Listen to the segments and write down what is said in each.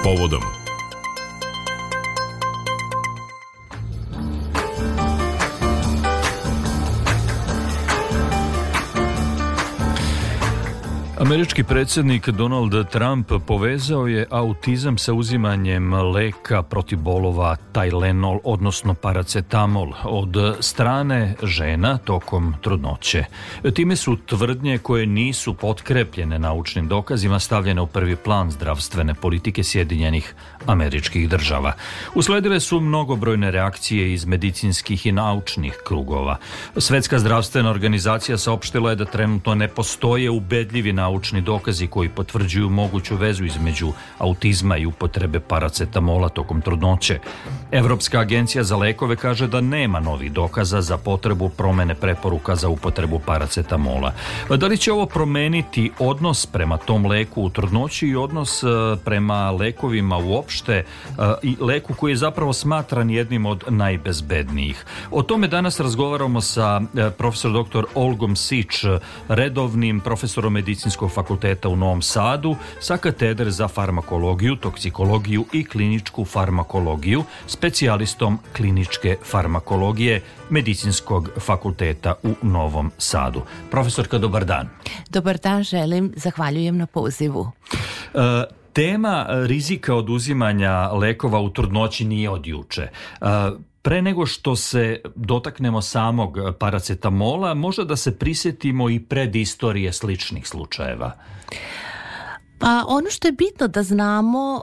povodom. Američki predsjednik Donald Trump povezao je autizam sa uzimanjem leka protiv bolova Tylenol, odnosno paracetamol, od strane žena tokom trudnoće. Time su tvrdnje koje nisu potkrepljene naučnim dokazima stavljene u prvi plan zdravstvene politike Sjedinjenih Američkih Država. Usledile su mnogobrojne reakcije iz medicinskih i naučnih krugova. Svetska zdravstvena organizacija saopštila je da trenutno ne postoje ubedljivi naučni dokazi koji potvrđuju moguću vezu između autizma i upotrebe paracetamola tokom trudnoće. Evropska agencija za lekove kaže da nema novih dokaza za potrebu promene preporuka za upotrebu paracetamola. Da li će ovo promeniti odnos prema tom leku u trudnoći i odnos prema lekovima uopšte i leku koji je zapravo smatran jednim od najbezbednijih? O tome danas razgovaramo sa profesor dr. Olgom Sić, redovnim profesorom medicinskog fakulteta u Novom Sadu, sa katedre za farmakologiju, toksikologiju i kliničku farmakologiju, specijalistom kliničke farmakologije medicinskog fakulteta u Novom Sadu. Profesorka, dobar dan. Dobar dan, želim, zahvaljujem na pozivu. Tema rizika od uzimanja lekova u trudnoći nije od juče. Pre nego što se dotaknemo samog paracetamola, možda da se prisjetimo i predistorije sličnih slučajeva. Pa ono što je bitno da znamo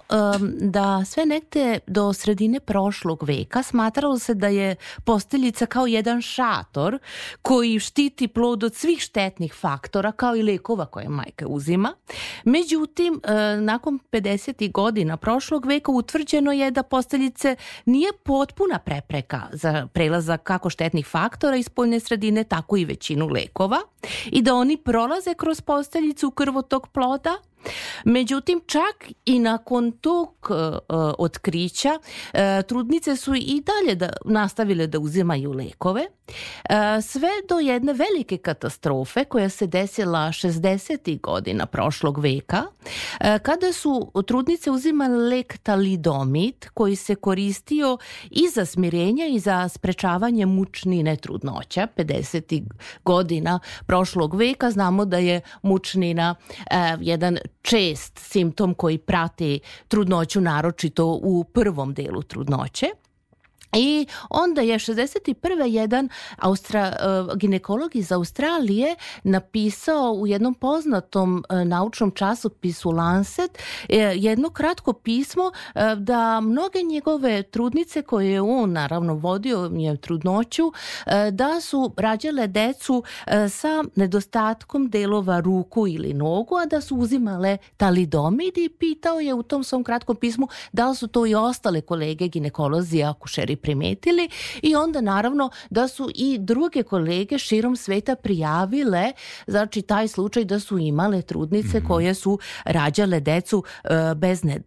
da sve negde do sredine prošlog veka smatralo se da je posteljica kao jedan šator koji štiti plod od svih štetnih faktora kao i lekova koje majka uzima. Međutim, nakon 50. godina prošlog veka utvrđeno je da posteljice nije potpuna prepreka za prelazak kako štetnih faktora iz spoljne sredine, tako i većinu lekova i da oni prolaze kroz posteljicu u krvotok ploda. Međutim, čak i nakon tog otkrića trudnice su i dalje nastavile da uzimaju lekove, sve do jedne velike katastrofe koja se desila 60. godina prošlog veka, kada su trudnice uzimale lek talidomid koji se koristio i za smirenje i za sprečavanje mučnine trudnoća. 50. godina prošlog veka znamo da je mučnina jedan čest simptom koji prati trudnoću, naročito u prvom delu trudnoće. I onda je 61. jedan ginekolog iz Australije napisao u jednom poznatom naučnom časopisu Lancet jedno kratko pismo da mnoge njegove trudnice koje je on naravno vodio trudnoću, da su rađale decu sa nedostatkom delova ruku ili nogu, a da su uzimale talidomid, i pitao je u tom svom kratkom pismu da li su to i ostale kolege ginekolozi, akušeri primetili, i onda naravno da su i druge kolege širom sveta prijavile, znači taj slučaj da su imale trudnice koje su rađale decu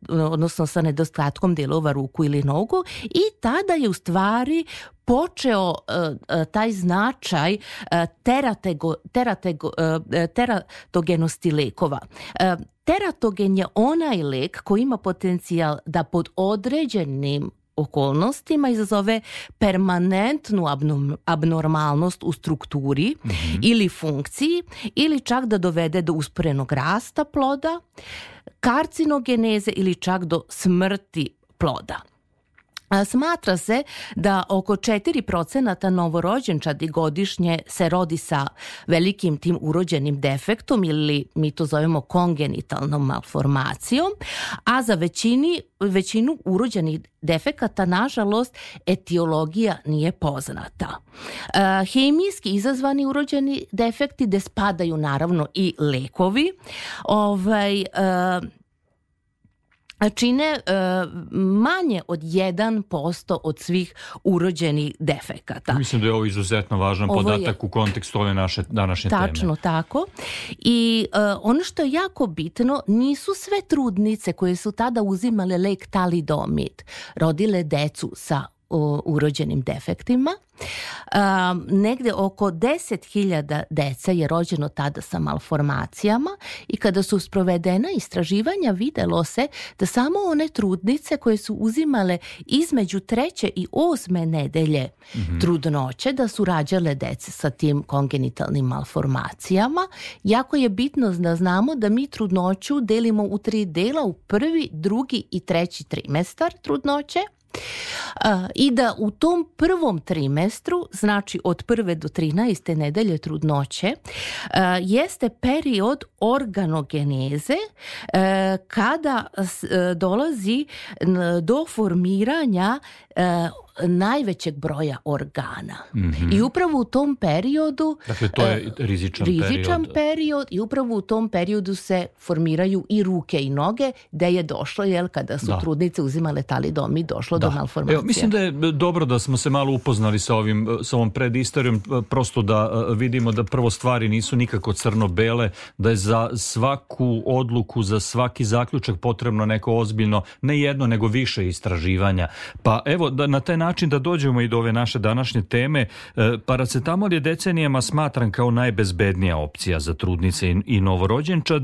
odnosno sa nedostatkom delova ruku ili nogu, i tada je u stvari počeo taj značaj teratogenosti lekova. Teratogen je onaj lek koji ima potencijal da pod određenim okolnostima izazove permanentnu abnormalnost u strukturi ili funkciji, ili čak da dovede do usporenog rasta ploda, karcinogeneze ili čak do smrti ploda. Smatra se da oko 4% novorođenčadi godišnje se rodi sa velikim tim urođenim defektom, ili mi to zovemo kongenitalnom malformacijom, a za većinu urođenih defekata, nažalost, etiologija nije poznata. Hemijski izazvani urođeni defekti, gde spadaju naravno i lekovi, čine manje od 1% od svih urođenih defekata. Mislim da je ovo izuzetno važan podatak u kontekstu ove naše današnje teme. Tačno tako. I ono što je jako bitno, nisu sve trudnice koje su tada uzimale lek talidomid rodile decu sa urođenim defektima. Negde oko 10.000 dece je rođeno tada sa malformacijama i kada su sprovedena istraživanja videlo se da samo one trudnice koje su uzimale između 3. i 8. nedelje trudnoće da su rađale dece sa tim kongenitalnim malformacijama. Jako je bitno da znamo da mi trudnoću delimo u 3 dela, u 1., 2. i 3. trimestar trudnoće. I da u tom prvom trimestru, znači od 1. do 13. nedelje trudnoće, jeste period organogeneze kada dolazi do formiranja najvećeg broja organa. I upravo u tom periodu... Dakle, to je rizičan period i upravo u tom periodu se formiraju i ruke i noge, gde je došlo, kada su trudnice uzimale talidomid, došlo do malformacije. Evo, mislim da je dobro da smo se malo upoznali sa ovom predistorijom, prosto da vidimo da prvo stvari nisu nikako crno-bele, da je za svaku odluku, za svaki zaključak potrebno neko ozbiljno, ne jedno, nego više istraživanja. Pa evo, da na taj način da dođemo i do ove naše današnje teme, paracetamol je decenijama smatran kao najbezbednija opcija za trudnice i novorođenčad.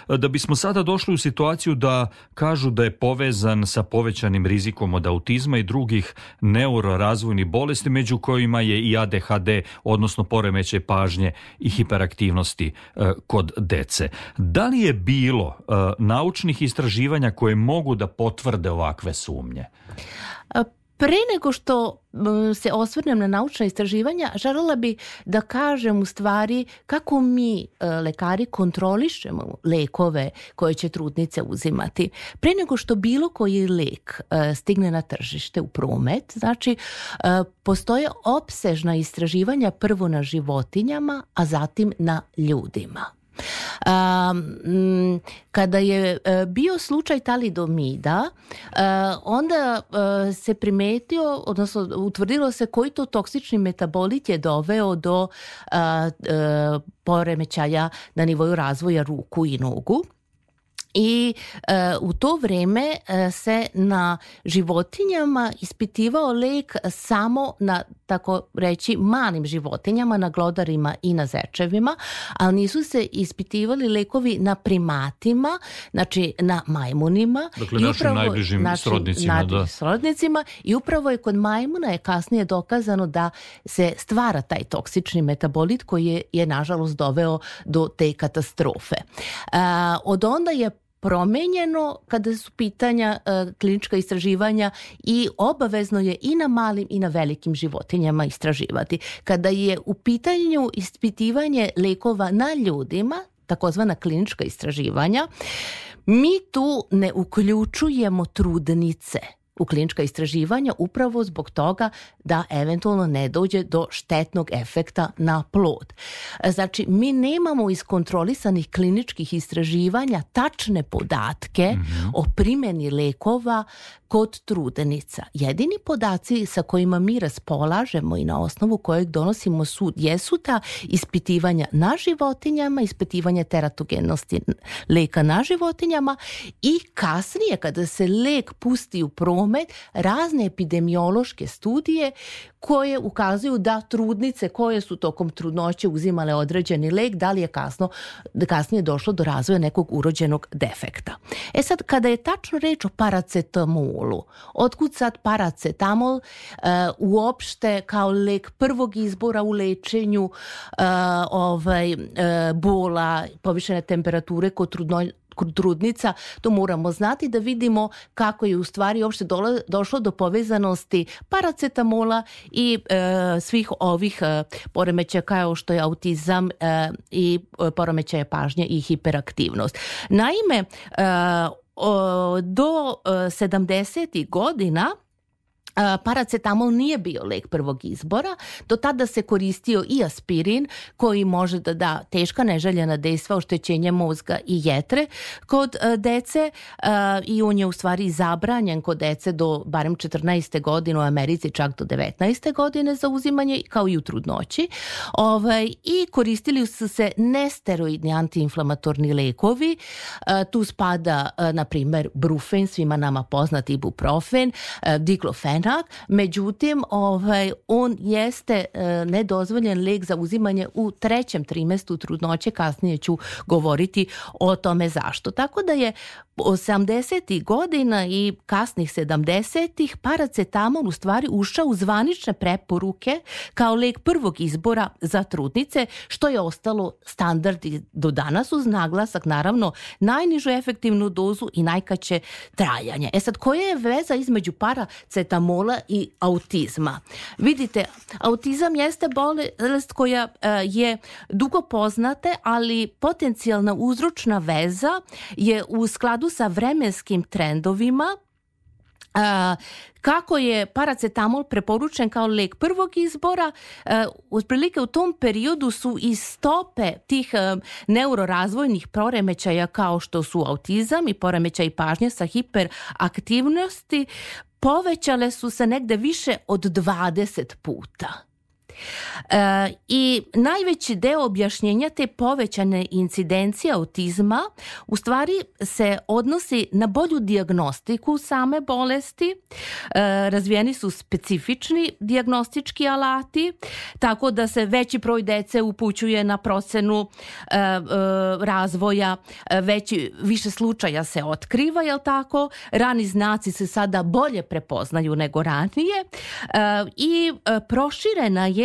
Da bismo sada došli u situaciju da kažu da je povezan sa povećanim rizikom od autizma i drugih neurorazvojnih bolesti, među kojima je i ADHD, odnosno poremećaj pažnje i hiperaktivnosti kod dece. Da li je bilo naučnih istraživanja koje mogu da potvrde ovakve sumnje? Pre nego što se osvrnem na naučna istraživanja, želela bi da kažem u stvari kako mi lekari kontrolišemo lekove koje će trudnice uzimati. Pre nego što bilo koji lek stigne na tržište u promet, znači postoje opsežna istraživanja prvo na životinjama, a zatim na ljudima. Kada je bio slučaj talidomida, onda se primetio, odnosno utvrdilo se koji to toksični metabolit je doveo do poremećaja na nivoju razvoja ruku i nogu. I u to vreme se na životinjama ispitivao lek samo na, tako reći, malim životinjama, na glodarima i na zečevima, ali nisu se ispitivali lekovi na primatima, znači na majmunima. Dakle, našim najbližim srodnicima. I upravo je kod majmuna je kasnije dokazano da se stvara taj toksični metabolit koji je nažalost doveo do te katastrofe. Od onda je promenjeno kada su pitanja klinička istraživanja i obavezno je i na malim i na velikim životinjama istraživati. Kada je u pitanju ispitivanje lekova na ljudima, takozvana klinička istraživanja, mi tu ne uključujemo trudnice u klinička istraživanja upravo zbog toga da eventualno ne dođe do štetnog efekta na plod. Znači, mi nemamo iskontrolisanih kliničkih istraživanja tačne podatke o primjeni lekova kod trudnica. Jedini podaci sa kojima mi raspolažemo i na osnovu kojeg donosimo sud jesu ta ispitivanja na životinjama, ispitivanja teratogenosti leka na životinjama i kasnije kada se lek pusti u promet, razne epidemiološke studije koje ukazuju da trudnice koje su tokom trudnoće uzimale određeni lek, da li je kasnije došlo do razvoja nekog urođenog defekta. Sad, kada je tačno reč o paracetamolu, otkud sad paracetamol uopšte kao lek prvog izbora u lečenju bola, povišene temperature kod trudnica, to moramo znati da vidimo kako je u stvari uopšte došlo do povezanosti paracetamola i svih ovih poremećaja kao što je autizam i poremećaja pažnje i hiperaktivnost. Naime, do 70. godina paracetamol nije bio lek prvog izbora. Do tada se koristio i aspirin koji može da da teška neželjena dejstva, oštećenje mozga i jetre kod dece i on je u stvari zabranjen kod dece do barem 14. godine, u Americi čak do 19. godine za uzimanje kao i u trudnoći. I koristili su se nesteroidni antiinflamatorni lekovi. Tu spada na primjer brufen, svima nama poznati ibuprofen, diklofen učinak, međutim on jeste nedozvoljen lek za uzimanje u 3. trimestru trudnoće, kasnije ću govoriti o tome zašto. Tako da je 80. godina i kasnih 70. paracetamol u stvari ušao u zvanične preporuke kao lek prvog izbora za trudnice, što je ostalo standard i do danas, uz naglasak naravno najnižu efektivnu dozu i najkraće trajanje. Sad, koja je veza između paracetamola i autizma? Vidite, autizam jeste bolest koja je dugo poznate, ali potencijalna uzročna veza je u skladu sa vremenskim trendovima. Kako je paracetamol preporučen kao lek prvog izbora, otprilike u tom periodu su i stope tih neurorazvojnih poremećaja kao što su autizam i poremećaj pažnje sa hiperaktivnosti povećale su se negde više od 20 puta. I najveći deo objašnjenja te povećane incidencije autizma u stvari se odnosi na bolju dijagnostiku same bolesti. Razvijeni su specifični dijagnostički alati, tako da se veći broj dece upućuje na procenu razvoja, više slučaja se otkriva, jel tako? Rani znaci se sada bolje prepoznaju nego ranije i proširena je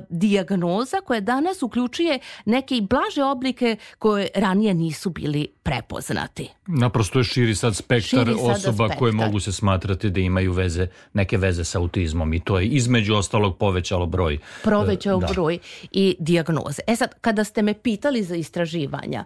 dijagnoza koja danas uključuje neke i blaže oblike koje ranije nisu bili prepoznati. Naprosto je širi sad spektar osoba koje mogu se smatrati da imaju neke veze sa autizmom i to je između ostalog povećalo broj. Broj i dijagnoze. Sad, kada ste me pitali za istraživanja,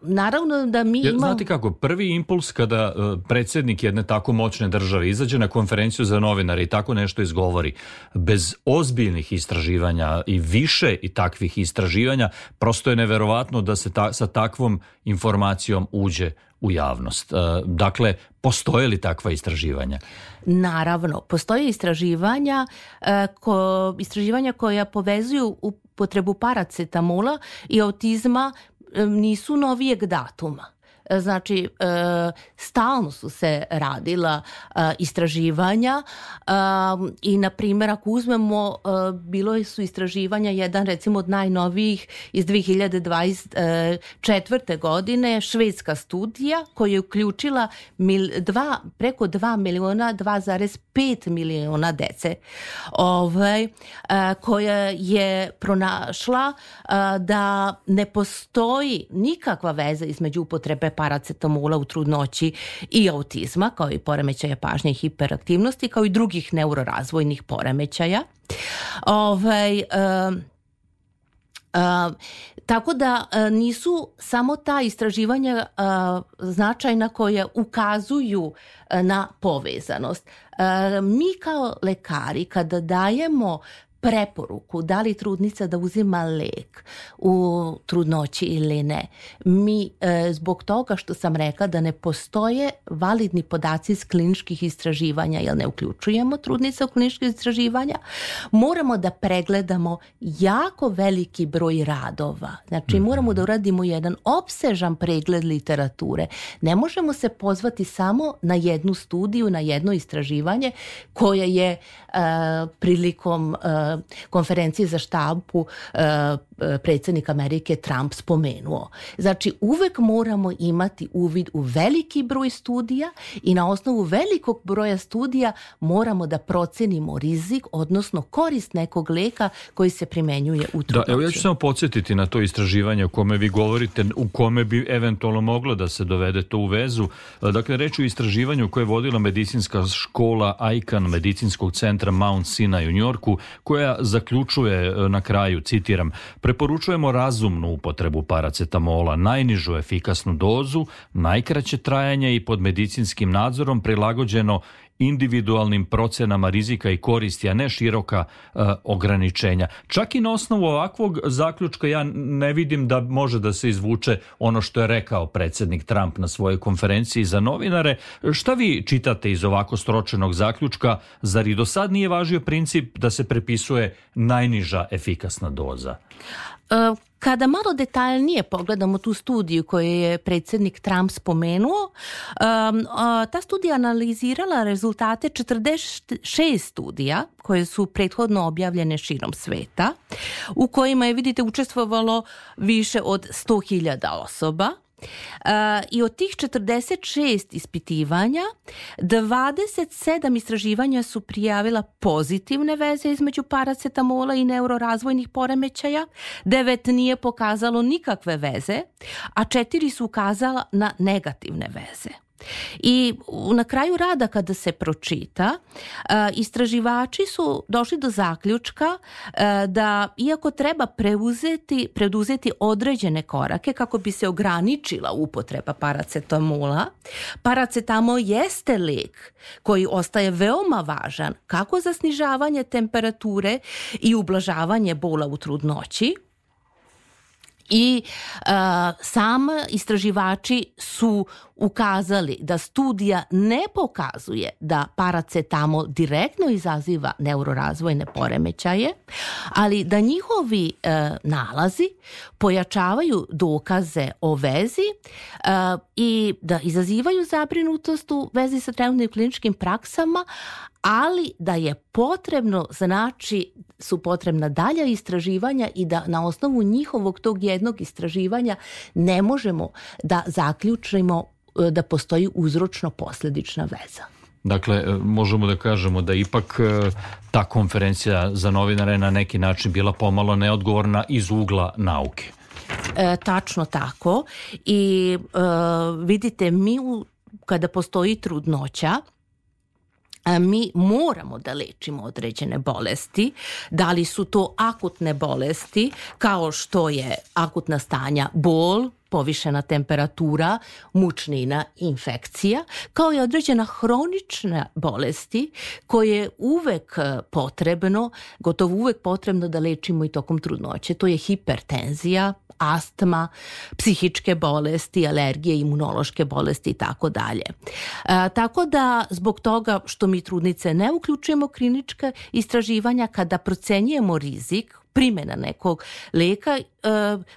naravno da mi imamo... Znate kako, prvi impuls kada predsjednik jedne tako moćne države izađe na konferenciju za novinare i tako nešto izgovori, bez ozbiljnih istraživanja i više i takvih istraživanja, prosto je neverovatno da se sa takvom informacijom uđe u javnost. Dakle, postoje li takva istraživanja? Naravno, postoje istraživanja koja povezuju upotrebu paracetamola i autizma, nisu novijeg datuma. Znači, stalno su se radila istraživanja i, na primjer, ako uzmemo, bilo su istraživanja, jedan recimo od najnovijih iz 2024. godine, švedska studija koja je uključila preko 2,5 miliona dece, koja je pronašla da ne postoji nikakva veza između upotrebe paracetamola u trudnoći i autizma, kao i poremećaja pažnje i hiperaktivnosti, kao i drugih neurorazvojnih poremećaja. Tako da nisu samo ta istraživanja značajna koja ukazuju na povezanost. Mi kao lekari kada dajemo preporuku da li trudnica da uzima lek u trudnoći ili ne, mi zbog toga što sam rekla da ne postoje validni podaci iz kliničkih istraživanja, jer ne uključujemo trudnice u kliničke istraživanja, moramo da pregledamo jako veliki broj radova. Znači moramo da uradimo jedan opsežan pregled literature. Ne možemo se pozvati samo na jednu studiju, na jedno istraživanje koje je prilikom konferencije za štampu predsjednik Amerike Trump spomenuo. Znači, uvek moramo imati uvid u veliki broj studija i na osnovu velikog broja studija moramo da procenimo rizik, odnosno korist nekog leka koji se primenjuje u trudnoći. Da, evo ja ću samo podsjetiti na to istraživanje o kome vi govorite, u kome bi eventualno moglo da se dovede to u vezu. Dakle, reč o istraživanju koje je vodila medicinska škola Icahn medicinskog centra Mount Sinai u Njorku, koja zaključuje na kraju, citiram, preporučujemo razumnu upotrebu paracetamola, najnižu efikasnu dozu, najkraće trajanje i pod medicinskim nadzorom prilagođeno individualnim procenama rizika i koristi, a ne široka ograničenja. Čak i na osnovu ovakvog zaključka ja ne vidim da može da se izvuče ono što je rekao predsjednik Trump na svojoj konferenciji za novinare. Šta vi čitate iz ovako sročenog zaključka? Zar i do sad nije važio princip da se prepisuje najniža efikasna doza? Kada malo detaljnije pogledamo tu studiju koju je predsjednik Trump spomenuo, ta studija analizirala rezultate 46 studija koje su prethodno objavljene širom sveta, u kojima je, vidite, učestvovalo više od 100.000 osoba. I od tih 46 ispitivanja 27 istraživanja su prijavila pozitivne veze između paracetamola i neurorazvojnih poremećaja, 9 nije pokazalo nikakve veze, a 4 su ukazala na negativne veze. I na kraju rada, kada se pročita, istraživači su došli do zaključka da iako treba preduzeti određene korake kako bi se ograničila upotreba paracetamola, paracetamol jeste lijek koji ostaje veoma važan kako za snižavanje temperature i ublažavanje bola u trudnoći. I sam istraživači su ukazali da studija ne pokazuje da paracetamol direktno izaziva neurorazvojne poremećaje, ali da njihovi nalazi pojačavaju dokaze o vezi i da izazivaju zabrinutost u vezi sa trenutnim kliničkim praksama, ali da je potrebno, znači su potrebna dalja istraživanja i da na osnovu njihovog tog jednog istraživanja ne možemo da zaključimo da postoji uzročno-posljedična veza. Dakle, možemo da kažemo da ipak ta konferencija za novinare na neki način bila pomalo neodgovorna iz ugla nauke. Tačno tako. I vidite, kada postoji trudnoća, mi moramo da lečimo određene bolesti. Da li su to akutne bolesti, kao što je akutna stanja bol, povišena temperatura, mučnina, infekcija, kao i određena hronične bolesti koje je gotovo uvek potrebno da lečimo i tokom trudnoće. To je hipertenzija, astma, psihičke bolesti, alergije, imunološke bolesti i tako dalje. Tako da zbog toga što mi trudnice ne uključujemo klinička istraživanja, kada procenjujemo rizik primjena nekog lijeka,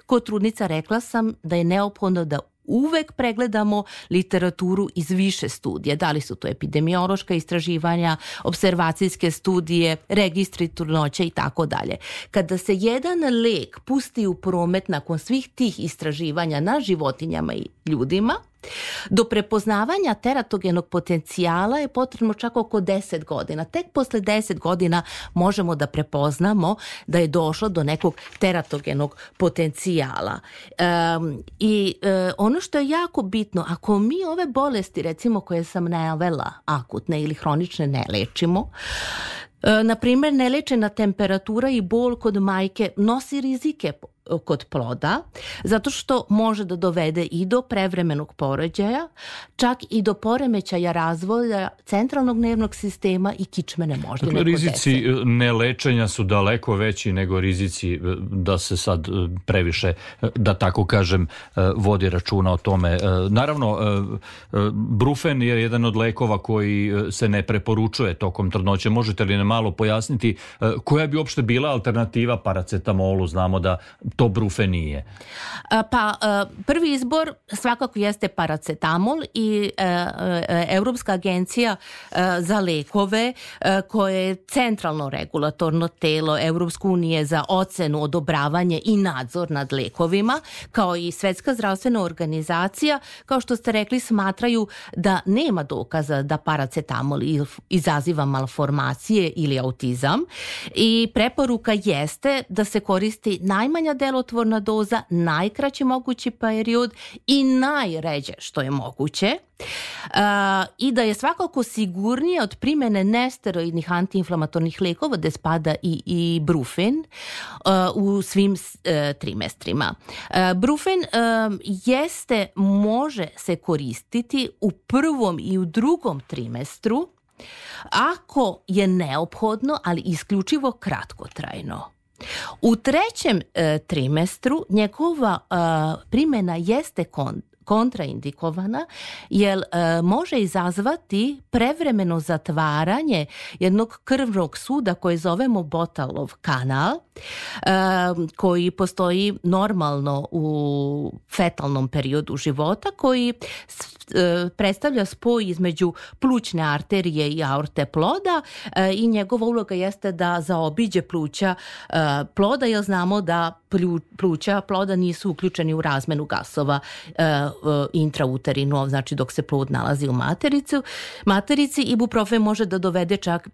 kod trudnica rekla sam da je neophodno da uvek pregledamo literaturu iz više studija. Da li su to epidemiološka istraživanja, observacijske studije, registri trudnoće i tako dalje. Kada se jedan lijek pusti u promet nakon svih tih istraživanja na životinjama i ljudima, do prepoznavanja teratogenog potencijala je potrebno čak oko 10 godina. Tek posle 10 godina možemo da prepoznamo da je došlo do nekog teratogenog potencijala. Ono što je jako bitno, ako mi ove bolesti, recimo koje sam navela, akutne ili hronične, ne lečimo, na primjer, nelečena temperatura i bol kod majke nosi rizike kod ploda, zato što može da dovede i do prevremenog porođaja, čak i do poremećaja razvoja centralnog nervnog sistema i kičmene moždine. Dakle, rizici nelečenja su daleko veći nego rizici da se sad previše, da tako kažem, vodi računa o tome. Naravno, brufen je jedan od lekova koji se ne preporučuje tokom trudnoće. Možete li nam malo pojasniti koja bi uopšte bila alternativa paracetamolu? Znamo da to brufen nije. Prvi izbor svakako jeste paracetamol i Europska agencija za lekove, koje je centralno regulatorno telo Europske unije za ocenu, odobravanje i nadzor nad lekovima, kao i Svetska zdravstvena organizacija, kao što ste rekli, smatraju da nema dokaza da paracetamol izaziva malformacije ili autizam i preporuka jeste da se koristi najmanja delotvorna doza, najkraći mogući period i najređe što je moguće. I da je svakako sigurnije od primjene nesteroidnih antiinflamatornih lekova, gde spada i brufen u svim trimestrima. Brufen može se koristiti u prvom i u drugom trimestru ako je neophodno, ali isključivo kratkotrajno. U trećem trimestru njegova primjena jeste kontraindikovana jer može izazvati prevremeno zatvaranje jednog krvnog suda koje zovemo Bottalov kanal, koji postoji normalno u fetalnom periodu života, koji predstavlja spoj između plućne arterije i aorte ploda i njegova uloga jeste da zaobiđe pluća ploda, jer znamo da pluća ploda nisu uključeni u razmenu gasova intrauterino, znači dok se plod nalazi u materici. Ibuprofen može da dovede čak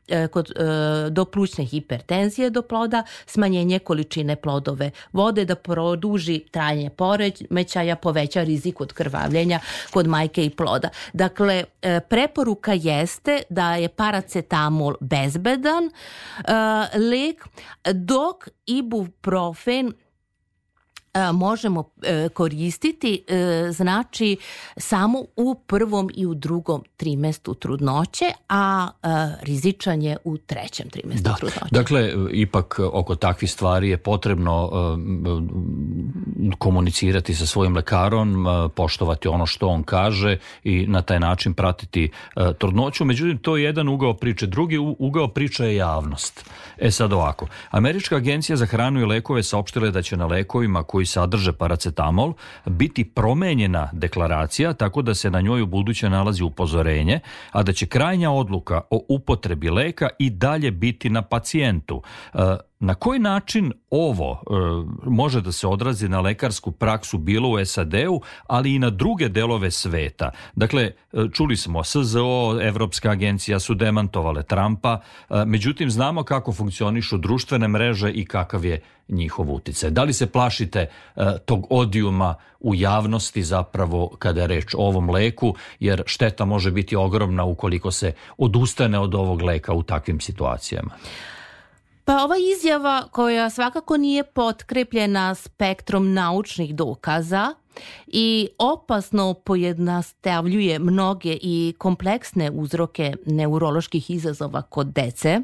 do plućne hipertenzije do ploda, smanjenje količine plodove vode, da produži trajanje poremećaja, poveća rizik od krvavljenja kod majke i ploda. Dakle, preporuka jeste da je paracetamol bezbedan lek, dok ibuprofen možemo koristiti znači samo u prvom i u drugom trimestru trudnoće, a rizičan je u trećem trimestru trudnoće. Dakle, ipak oko takvih stvari je potrebno komunicirati sa svojim lekarom, poštovati ono što on kaže i na taj način pratiti trudnoću. Međutim, to je jedan ugao priče. Drugi ugao priče je javnost. Sad ovako. Američka agencija za hranu i lekove saopštila je da će na lekovima koji sadrže paracetamol biti promenjena deklaracija tako da se na njoj ubuduće nalazi upozorenje, a da će krajnja odluka o upotrebi leka i dalje biti na pacijentu. Na koji način ovo može da se odrazi na lekarsku praksu bilo u SAD-u, ali i na druge delove sveta? Dakle, čuli smo, SZO, Evropska agencija su demantovale Trumpa, međutim znamo kako funkcionišu društvene mreže i kakav je njihov uticaj. Da li se plašite tog odijuma u javnosti zapravo kada je reč o ovom leku, jer šteta može biti ogromna ukoliko se odustane od ovog leka u takvim situacijama? Pa ova izjava koja svakako nije potkrepljena spektrom naučnih dokaza i opasno pojednostavljuje mnoge i kompleksne uzroke neuroloških izazova kod dece.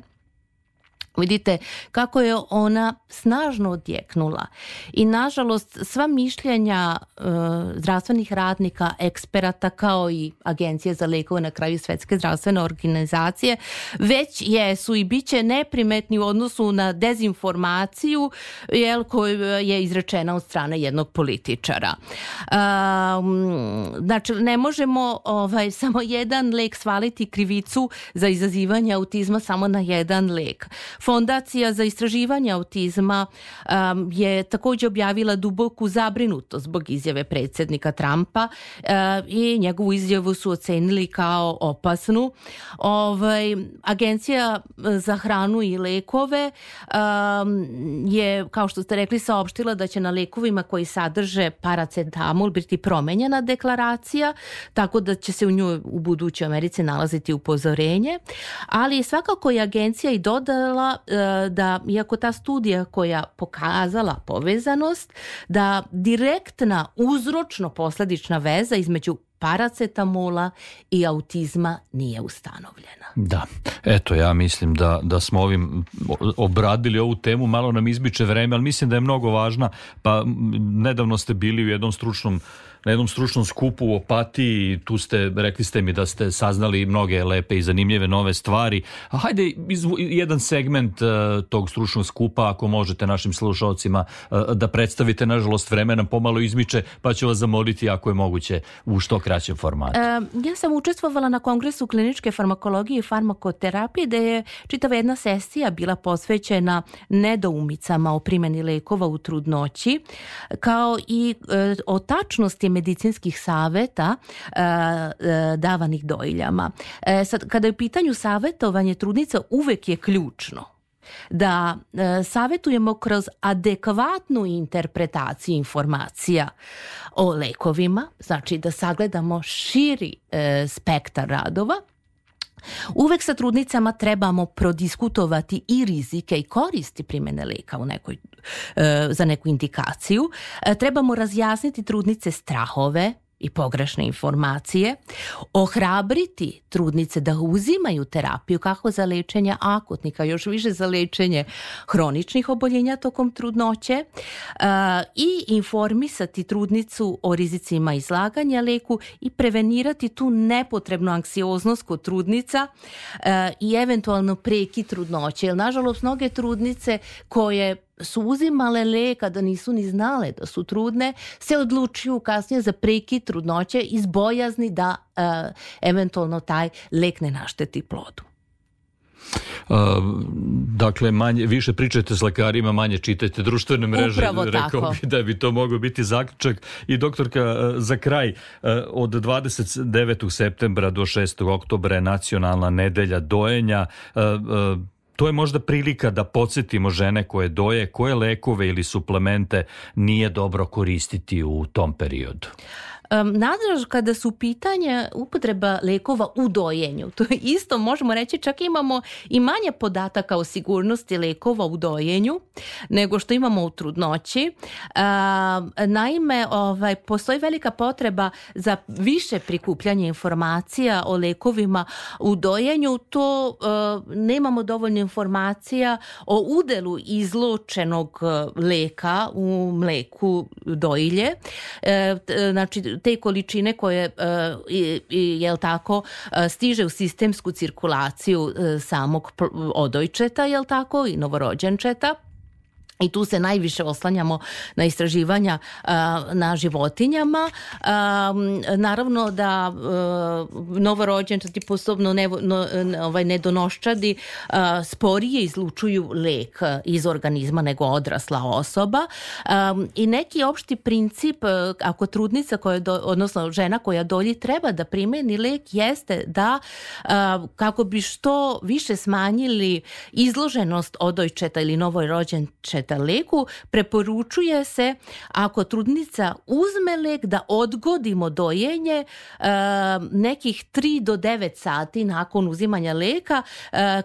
Vidite kako je ona snažno odjeknula i nažalost sva mišljenja zdravstvenih radnika, eksperata kao i Agencije za lekove, na kraju Svetske zdravstvene organizacije, već jesu i bit će neprimetni u odnosu na dezinformaciju koja je izrečena od strane jednog političara. Znači, ne možemo samo jedan lek svaliti krivicu za izazivanje autizma samo na jedan lek. Fondacija za istraživanje autizma je također objavila duboku zabrinutost zbog izjave predsjednika Trumpa i njegovu izjavu su ocenili kao opasnu. Agencija za hranu i lekove je, kao što ste rekli, saopštila da će na lekovima koji sadrže paracetamol biti promenjena deklaracija, tako da će se u njoj u budućoj Americi nalaziti upozorenje, ali svakako je agencija i dodala da, iako ta studija koja pokazala povezanost, da direktna uzročno-posledična veza između paracetamola i autizma nije ustanovljena. Da, eto, ja mislim da smo ovim obradili ovu temu, malo nam izbiče vreme, ali mislim da je mnogo važna. Pa nedavno ste bili u na jednom stručnom skupu u Opatiji, tu rekli ste mi da ste saznali mnoge lepe i zanimljive nove stvari. A hajde jedan segment tog stručnog skupa, ako možete našim slušalcima da predstavite. Nažalost, vreme nam pomalo izmiče, pa ću vas zamoliti ako je moguće u što kraćem formatu. Ja sam učestvovala na Kongresu kliničke farmakologije i farmakoterapije, gde je čitava jedna sesija bila posvećena nedoumicama o primjeni lekova u trudnoći, kao i o tačnosti medicinskih savjeta davanih dojiljama. Sad, kada je u pitanju savjetovanje trudnica, uvek je ključno da savjetujemo kroz adekvatnu interpretaciju informacija o lekovima, znači da sagledamo širi spektar radova. Uvek sa trudnicama trebamo prodiskutovati i rizike i koristi primjene leka za neku indikaciju. Trebamo razjasniti trudnice strahove i pogrešne informacije, ohrabriti trudnice da uzimaju terapiju kako za lečenje akutnih, a još više za lečenje hroničnih oboljenja tokom trudnoće i informisati trudnicu o rizicima izlaganja leku i prevenirati tu nepotrebnu anksioznost kod trudnica i eventualno prekid trudnoće. Jer nažalost mnoge trudnice koje su uzimale lek, a da nisu ni znale da su trudne, se odlučuju kasnije za prekid trudnoće iz bojazni da eventualno taj lek ne našteti plodu. Dakle, više pričajte s lekarima, manje čitajte društvene mreže. Upravo rekao tako. Bi da bi to mogao biti zaključak. I doktorka, za kraj, od 29. septembra do 6. oktobra je nacionalna nedelja dojenja. To je možda prilika da podsjetimo žene koje doje, koje lekove ili suplemente nije dobro koristiti u tom periodu. Nadalje, kada su pitanje upotreba lekova u dojenju, to je isto možemo reći, čak imamo i manje podataka o sigurnosti lekova u dojenju nego što imamo u trudnoći. Naime, postoji velika potreba za više prikupljanje informacija o lekovima u dojenju. To nemamo dovoljno informacija o udelu izlučenog leka u mleku dojilje. Znači, te količine koje jel tako, stiže u sistemsku cirkulaciju samog odojčeta, jel tako, i novorođenčeta. I tu se najviše oslanjamo na istraživanja na životinjama. Naravno da novorođenčadi, posebno nedonoščadi, sporije izlučuju lek iz organizma nego odrasla osoba. I neki opšti princip, ako trudnica, odnosno žena koja doji, treba da primeni lek, jeste da kako bi što više smanjili izloženost odojčeta ili novorođenčeta leku, preporučuje se, ako trudnica uzme lek, da odgodimo dojenje nekih 3 do 9 sati nakon uzimanja leka,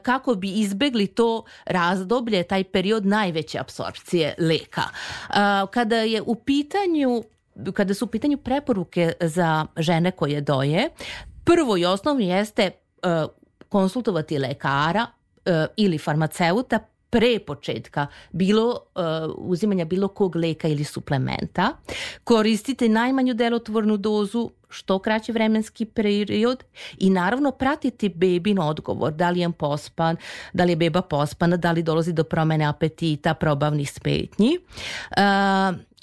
kako bi izbegli to razdoblje, taj period najveće apsorpcije leka. Kada su u pitanju preporuke za žene koje doje, prvo i osnovno jeste konsultovati lekara ili farmaceuta pre početka uzimanja bilo kog leka ili suplementa. Koristite najmanju delotvornu dozu, što kraći vremenski period i naravno pratiti bebin odgovor, da li je pospan, da li je beba pospana, da li dolazi do promene apetita, probavnih smetnji.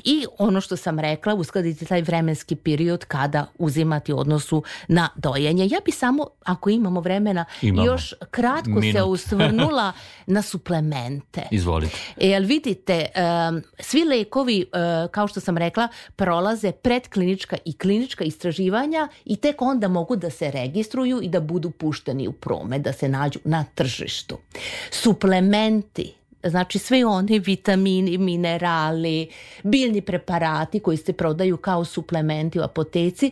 I ono što sam rekla, uskladiti taj vremenski period kada uzimati u odnosu na dojenje. Ja bi samo, ako imamo vremena, još kratko se osvrnula na suplemente. Izvolite. Jer vidite, svi lekovi, kao što sam rekla, prolaze predklinička i klinička istraživanja i tek onda mogu da se registruju i da budu pušteni u promet, da se nađu na tržištu. Suplementi, znači sve oni vitamini, minerali, biljni preparati koji se prodaju kao suplementi u apoteci,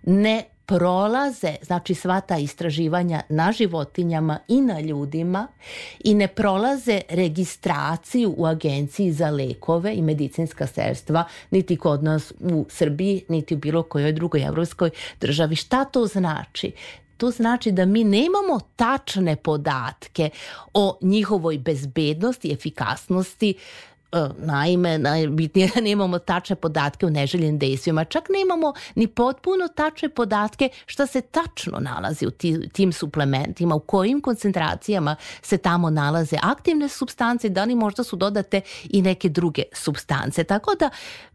ne prolaze, znači sva ta istraživanja na životinjama i na ljudima i ne prolaze registraciju u Agenciji za lekove i medicinska sredstva, niti kod nas u Srbiji, niti u bilo kojoj drugoj evropskoj državi. Šta to znači? To znači da mi nemamo tačne podatke o njihovoj bezbednosti, efikasnosti. Naime, najbitnije da nemamo tačne podatke o neželjenim dejstvima. Čak nemamo ni potpuno tačne podatke šta se tačno nalazi u tim suplementima, u kojim koncentracijama se tamo nalaze aktivne supstance, da li možda su dodate i neke druge supstance. Tako da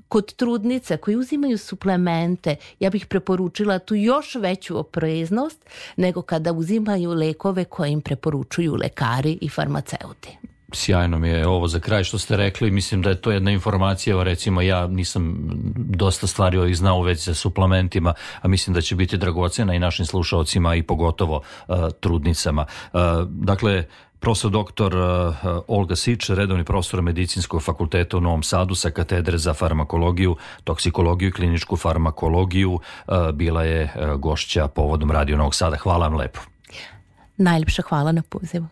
kod trudnica koji uzimaju suplemente, ja bih preporučila tu još veću opreznost nego kada uzimaju lekove koje im preporučuju lekari i farmaceuti. Sjajno mi je ovo za kraj što ste rekli. Mislim da je to jedna informacija, recimo ja nisam dosta stvari ovih znao u vezi sa suplementima, a mislim da će biti dragocena i našim slušalcima i pogotovo trudnicama. Dakle, profesor doktor Olga Sič, redovni profesor Medicinskog fakulteta u Novom Sadu sa katedre za farmakologiju, toksikologiju i kliničku farmakologiju, bila je gošća povodom Radio Novog Sada. Hvala vam lepo. Najljepša hvala na pozivu.